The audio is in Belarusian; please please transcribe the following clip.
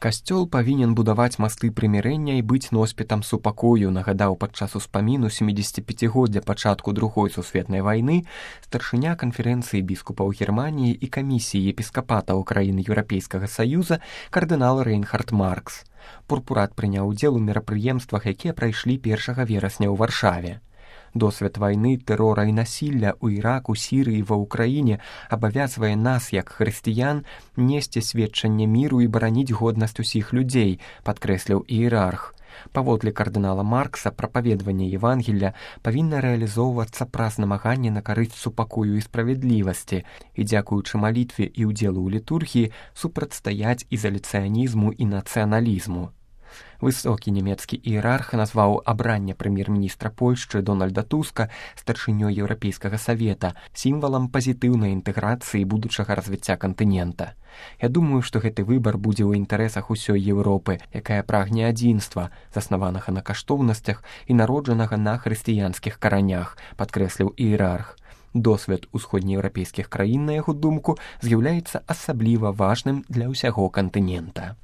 Касцёл павінен будаваць масты прымірэння і быць носьбітам супакою, нагадаў падчас успаміну 75-годдзя пачатку Другой сусветнай вайны старшыня канферэнцыі біскупаў Германіі і камісіі епіскапатаў краін Еўрапейскага Саюза кардынал Рейнхард Маркс. Пурпурат прыняў удзел у мерапрыемствах, якія прайшлі 1 верасня ў Варшаве. Досвед вайны, тэрора і насілля ў Іраку, Сірыі, ва ўкраіне абавязвае нас, як хрысціян, несці сведчанне міру і бараніць годнасць усіх людзей, падкрэсліў іерарх. Паводле кардынала Маркса, прапаведванне Евангелля павінна рэалізоўвацца праз намаганне на карысць супакою і справядлівасці і, дзякуючы малітве і ўдзелу ў літургіі, супрацьстаяць ізаляцыянізму і нацыяналізму. Высокі нямецкі іерарх назваў абранне прэм'ер-міністра Польшчы Дональда Туска старшынёй Еўрапейскага савета сімвалам пазітыўнай інтэграцыі будучага развіцця кантынента. Я думаю, што гэты выбар будзе ў інтарэсах усёй Еўропы, якая прагне адзінства, заснаванага на каштоўнасцях і народжанага на хрысціянскіх каранях, падкрэсліў іерарх. Досвед усходнееўрапейскіх краін, на яго думку, з'яўляецца асабліва важным для ўсяго кантынента.